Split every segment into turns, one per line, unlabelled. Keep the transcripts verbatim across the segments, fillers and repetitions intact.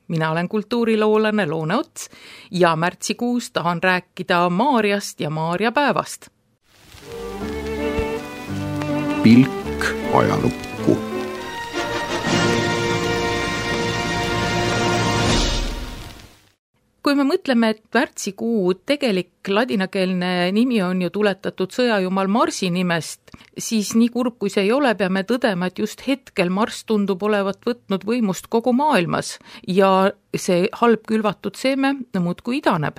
mina olen kultuuriloolane Loone Ots ja märtsikuus tahan rääkida Maarjast ja Maarja päevast.
Pilk ajalukku.
Kui me mõtleme, et märtsikuu tegelik ladinakeelne nimi on ju tuletatud sõjajumal Marsi nimest, siis nii kurb kui see ei ole, peame tõdema, et just hetkel Marss tundub olevat võtnud võimust kogu maailmas ja see halb külvatud seeme muudkui idaneb.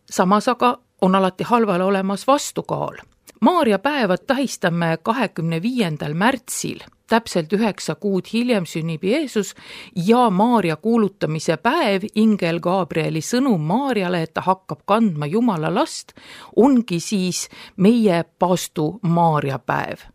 Samas aga on alati halvale olemas vastukaal. Maarja päeva tähistame kahekümne viiendal märtsil, täpselt üheksa kuud hiljem sünnib Jeesus ja Maarja kuulutamise päev, ingel Gabrieli sõnum Maarjale, et ta hakkab kandma Jumala last, ongi siis meie paastu Maarja päev.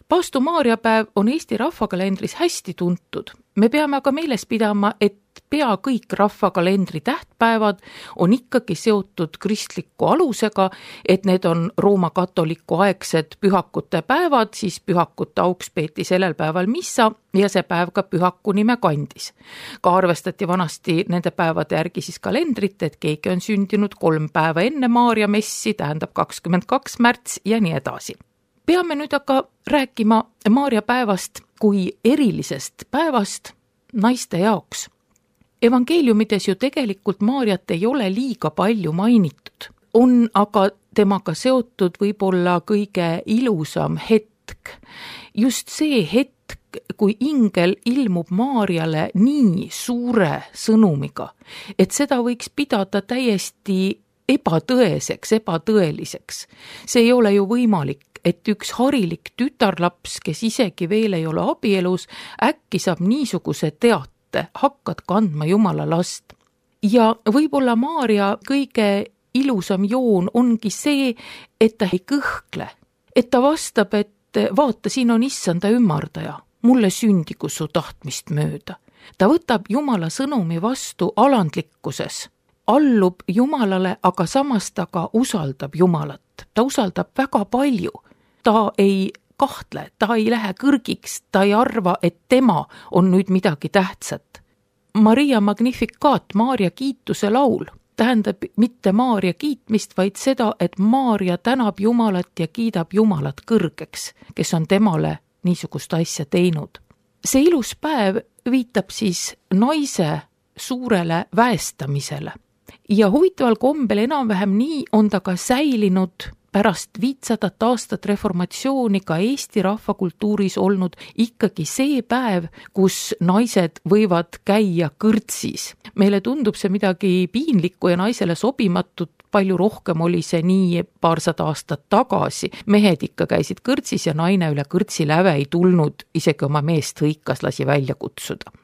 Paastu Maarja päev on Eesti rahvakalendris hästi tuntud. Me peame aga meeles pidama, et pea kõik rahvakalendri tähtpäevad on ikkagi seotud kristliku alusega, et need on Rooma katoliku aegsed pühakute päevad, siis pühakute auks peeti sellel päeval missa ja see päev ka pühaku nime kandis. Ka arvestati vanasti nende päevade järgi siis kalendrit, et keegi on sündinud kolm päeva enne Maarja messi, tähendab kakskümmend kaks märts ja nii edasi. Peame nüüd aga rääkima Maarja päevast kui erilisest päevast naiste jaoks. Evangeeliumides ju tegelikult Maarjat ei ole liiga palju mainitud. On aga temaga seotud võib-olla kõige ilusam hetk. Just see hetk, kui ingel ilmub Maarjale nii suure sõnumiga, et seda võiks pidada täiesti ebatõeseks, ebatõeliseks. See ei ole ju võimalik, et üks harilik tütarlaps, kes isegi veel ei ole abielus, äkki saab niisuguse teate, hakkad kandma Jumala last. Ja võib-olla Maarja kõige ilusam joon ongi see, et ta ei kõhkle, et ta vastab, et vaata, siin on issanda ümardaja, mulle sündigu su tahtmist mööda. Ta võtab Jumala sõnumi vastu alandlikkuses, allub Jumalale, aga samas ta ka usaldab Jumalat. Ta usaldab väga palju. Ta ei kahtle, ta ei lähe kõrgiks, ta ei arva, et tema on nüüd midagi tähtsat. Maria Magnificat, Maarja kiituse laul, tähendab mitte Maarja kiitmist, vaid seda, et Maarja tänab Jumalat ja kiidab Jumalat kõrgeks, kes on temale niisugust asja teinud. See ilus päev viitab siis naise suurele väestamisele. Ja huvitaval kombel enam-vähem nii on ta ka säilinud pärast viitsadat aastat reformatsiooni ka Eesti rahvakultuuris olnud ikkagi see päev, kus naised võivad käia kõrtsis. Meile tundub see midagi piinlikku ja naisele sobimatut, palju rohkem oli see nii paarsada aastat tagasi. Mehed ikka käisid kõrtsis ja naine üle kõrtsi läve ei tulnud, isegi oma meest hõikas lasi välja kutsuda.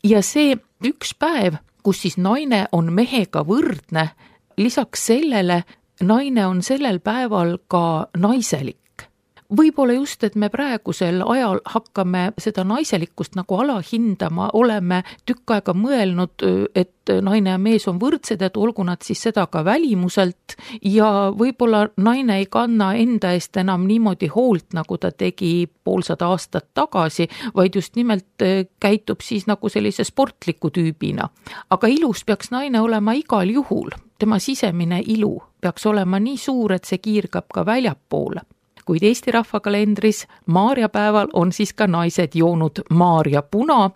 Ja see üks päev, kus siis naine on mehega võrdne, lisaks sellele naine on sellel päeval ka naiselik. Võib-olla just, et me praegusel ajal hakkame seda naiselikkust nagu alahindama, oleme tükk aega mõelnud, et naine ja mees on võrdsed, et olgu nad siis seda ka välimuselt ja võib-olla naine ei kanna enda eest enam niimoodi hoolt, nagu ta tegi poolsada aastat tagasi, vaid just nimelt käitub siis nagu sellise sportliku tüübina. Aga ilus peaks naine olema igal juhul. Tema sisemine ilu peaks olema nii suur, et see kiirgab ka väljapoole. Kuid Eesti rahvakalendris Maarja päeval on siis ka naised joonud Maarja puna,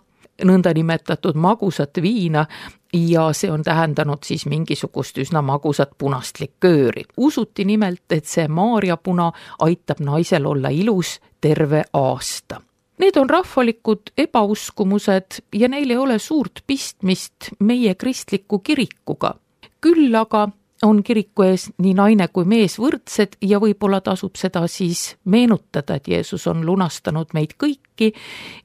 nõnda nimetatud magusat viina, ja see on tähendanud siis mingisugust üsna magusat punast likööri. Usuti nimelt, et see Maarja puna aitab naisel olla ilus terve aasta. Need on rahvalikud ebauskumused ja neil ei ole suurt pistmist meie kristliku kirikuga. Küll aga on kiriku ees nii naine kui mees võrdsed ja võib-olla tasub seda siis meenutada, et Jeesus on lunastanud meid kõiki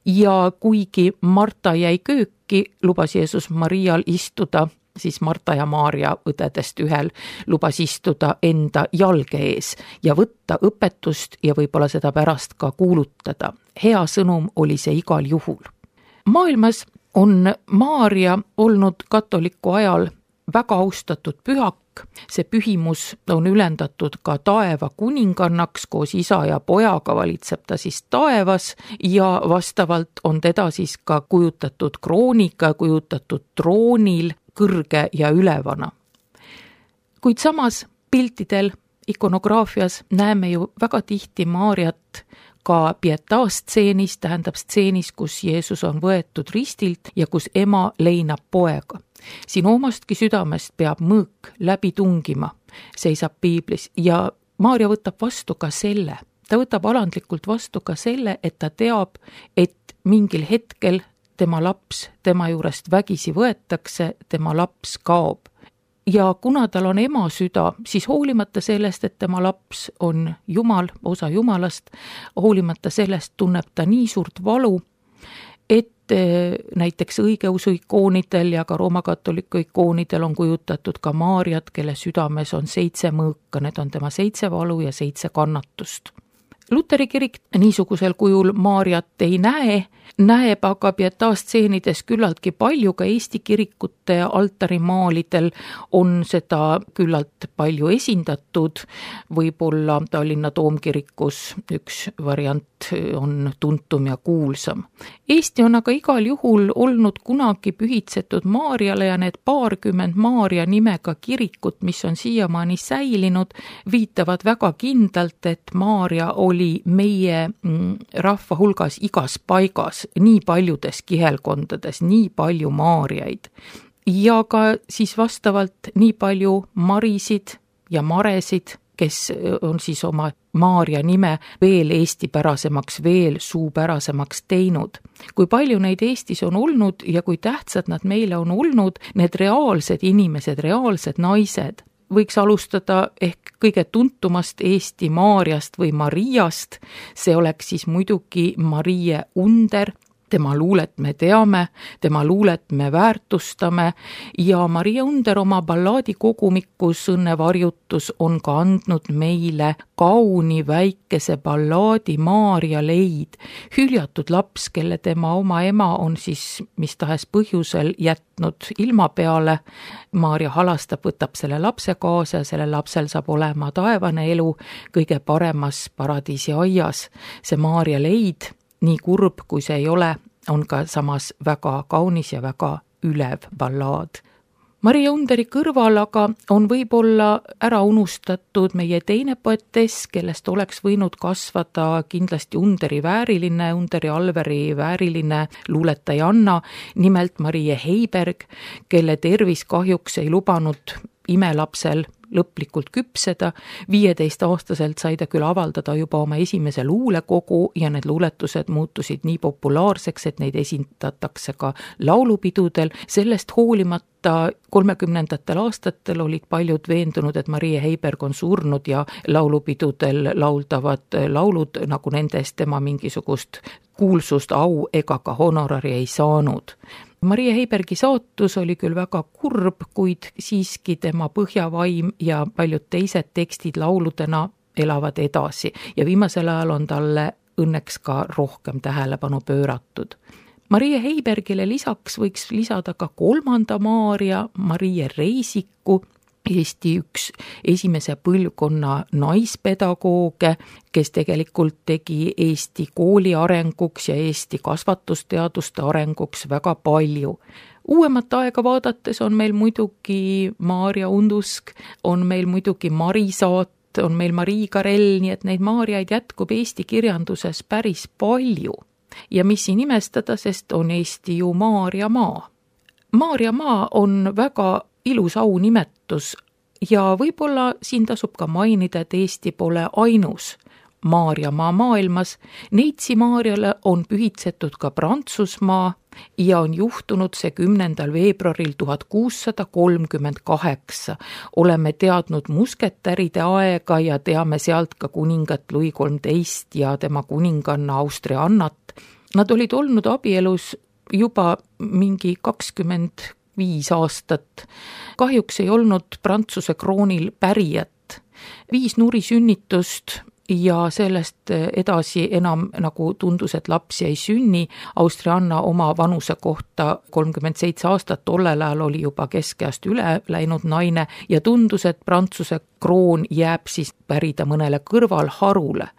ja kuigi Marta jäi kööki, lubas Jeesus Marial istuda, siis Marta ja Maarja õdedest ühel lubas istuda enda jalge ees ja võtta õpetust ja võib-olla seda pärast ka kuulutada. Hea sõnum oli see igal juhul. Maailmas on Maarja olnud katoliku ajal väga austatud pühak see pühimus on ülendatud ka taeva kuningannaks, koos isa ja pojaga valitseb ta siis taevas ja vastavalt on teda siis ka kujutatud krooniga, kujutatud troonil kõrge ja ülevana. Kuid samas piltidel, ikonograafias näeme ju väga tihti Maarjat ka pietaastseenis, tähendab stseenis, kus Jeesus on võetud ristilt ja kus ema leinab poega. Siin omastki südamest peab mõõk läbi tungima, seisab piiblis ja Maarja võtab vastu ka selle. Ta võtab alandlikult vastu ka selle, et ta teab, et mingil hetkel tema laps tema juurest vägisi võetakse, tema laps kaob. Ja kuna tal on ema süda, siis hoolimata sellest, et tema laps on Jumal, osa Jumalast, hoolimata sellest tunneb ta nii suurt valu, et näiteks õigeusu ikoonidel ja ka roomakatoliku ikoonidel on kujutatud ka Maarjat, kelle südames on seitse mõõka, need on tema seitse valu ja seitse kannatust. Luteri kirik niisugusel kujul Maarjat ei näe, näeb aga pietaastseenides küllaltki palju, ka Eesti kirikute altarimaalidel on seda küllalt palju esindatud, võib-olla Tallinna Toomkirikus üks variant on tuntum ja kuulsam. Eesti on aga igal juhul olnud kunagi pühitsetud Maarjale ja need paarkümmend Maarja nimega kirikut, mis on siiamaani säilinud, viitavad väga kindlalt, et Maarja oli meie rahva hulgas igas paigas, nii paljudes kihelkondades, nii palju Maarjaid ja ka siis vastavalt nii palju Marisid ja Maresid, kes on siis oma Maarja nime veel eestipärasemaks, veel suupärasemaks teinud. Kui palju neid Eestis on olnud ja kui tähtsad nad meile on olnud, need reaalsed inimesed, reaalsed naised, võiks alustada ehk kõige tuntumast Eesti Maarjast või Mariast, see oleks siis muidugi Marie Under. Tema luulet me teame, tema luulet me väärtustame ja Marie Under oma ballaadikogumikus Õnnevarjutus on ka andnud meile kauni väikese ballaadi Maarja leid, hüljatud laps, kelle tema oma ema on siis mis tahes põhjusel jätnud ilma peale. Maarja halastab, võtab selle lapse kaasa ja selle lapsel saab olema taevane elu kõige paremas paradiisi aias. See Maarja leid, nii kurb kui see ei ole, on ka samas väga kaunis ja väga ülev ballaad. Marie Underi kõrval aga on võib-olla ära unustatud meie teine poetess, kellest oleks võinud kasvada kindlasti Underi vääriline, Underi Alveri vääriline luuletajanna, nimelt Marie Heiberg, kelle tervis kahjuks ei lubanud imelapsel lõplikult küpseda. viieteist-aastaselt sai ta küll avaldada juba oma esimese luulekogu ja need luuletused muutusid nii populaarseks, et neid esindatakse ka laulupidudel. Sellest hoolimata kolmekümnendatel aastatel olid paljud veendunud, et Marie Heiberg on surnud ja laulupidudel lauldavad laulud, nagu nendest tema mingisugust kuulsust, au ega ka honorari ei saanud. Marie Heibergi saatus oli küll väga kurb, kuid siiski tema põhjavaim ja paljud teised tekstid lauludena elavad edasi ja viimasel ajal on talle õnneks ka rohkem tähelepanu pööratud. Marie Heibergile lisaks võiks lisada ka kolmanda Maarja, Marie Reisiku, Eesti üks esimese põlvkonna naispedagooge, kes tegelikult tegi Eesti kooli arenguks ja Eesti kasvatusteaduste arenguks väga palju. Uuemat aega vaadates on meil muidugi Maarja Undusk, on meil muidugi Marisaat, on meil Marii Karell, nii et neid Maarjaid jätkub Eesti kirjanduses päris palju. Ja mis siin imestada, sest on Eesti ju Maarja maa. Maarja maa on väga ilus aunimetus ja võib-olla siin tasub ka mainida, et Eesti pole ainus Maarja maa maailmas. Neitsi Maarjale on pühitsetud ka Prantsusmaa ja on juhtunud see kümnendal veebruaril tuhat kuussada kolmkümmend kaheksa. Oleme teadnud musketäride aega ja teame sealt ka kuningat Louis kolmteist ja tema kuninganna Austria Annat. Nad olid olnud abielus juba mingi kakskümmend viis aastat. Kahjuks ei olnud Prantsuse kroonil pärijat. Viis nurisünnitust ja sellest edasi enam nagu tundus, et lapsi ei sünni. Austrianna oma vanuse kohta kolmkümmend seitse aastat, tollel ajal oli juba keskeast üle läinud naine ja tundus, et Prantsuse kroon jääb siis pärida mõnele kõrvalharule.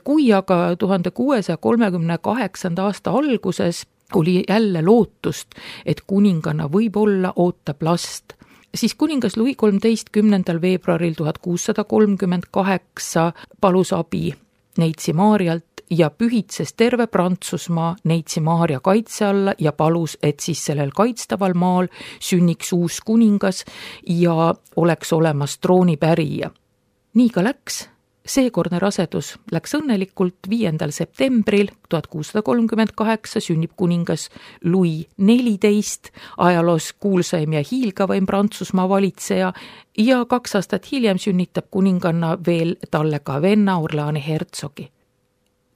Kui aga tuhande kuuesaja kolmekümne kaheksanda aasta alguses oli jälle lootust, et kuninganna võib-olla ootab last, siis kuningas Louis kolmteist kümnendal veebruaril tuhat kuussada kolmkümmend kaheksa palus abi Neitsi Maarjalt ja pühitses terve Prantsusmaa Neitsi Maarja kaitse alla ja palus, et siis sellel kaitstaval maal sünniks uus kuningas ja oleks olemas troonipärija. Nii ka läks. Seekordne rasedus läks õnnelikult viiendal septembril tuhat kuussada kolmkümmend kaheksa sünnib kuningas Louis neliteist, ajaloos kuulsaim ja hiilgavaim Prantsusmaa valitseja ja kaks aastat hiljem sünnitab kuninganna veel talle ka venna Orleani hertsogi.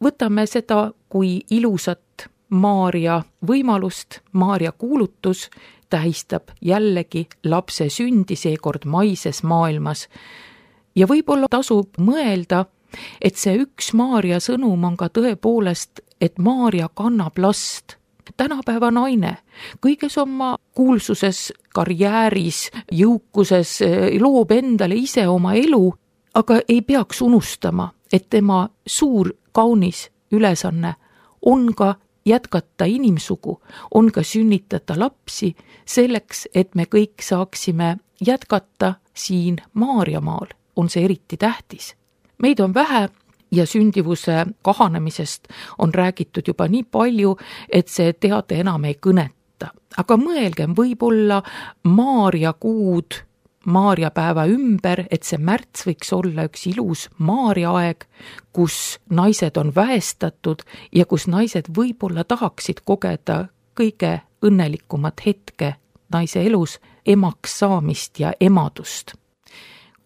Võtame seda kui ilusat Maarja võimalust, Maarja kuulutus tähistab jällegi lapse sündi, seekord maises maailmas. Ja võib-olla tasub mõelda, et see üks Maarja sõnum on ka tõepoolest, et Maarja kannab last. Tänapäeva naine kõiges oma kuulsuses, karjääris, jõukuses loob endale ise oma elu, aga ei peaks unustama, et tema suur kaunis ülesanne on ka jätkata inimsugu, on ka sünnitada lapsi selleks, et me kõik saaksime jätkata siin Maarjamaal. On see eriti tähtis. Meid on vähe ja sündivuse kahanemisest on räägitud juba nii palju, et see teade enam ei kõneta. Aga mõelgem võib-olla Maarja kuud, Maarja päeva ümber, et see märts võiks olla üks ilus Maarja aeg, kus naised on väestatud ja kus naised võib-olla tahaksid kogeda kõige õnnelikumat hetke naise elus, emaks saamist ja emadust.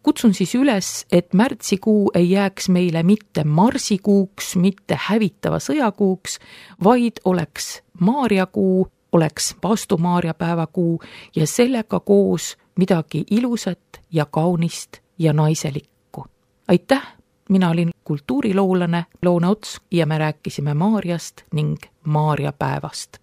Kutsun siis üles, et märtsikuu ei jääks meile mitte marsikuuks, mitte hävitava sõjakuuks, vaid oleks Maarjakuu, oleks Paastu Maarja päevakuu ja sellega koos midagi ilusat ja kaunist ja naiselikku. Aitäh, mina olin kultuuriloolane Loone Ots ja me rääkisime Maarjast ning Maarja päevast.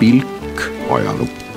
pilk ajalukku.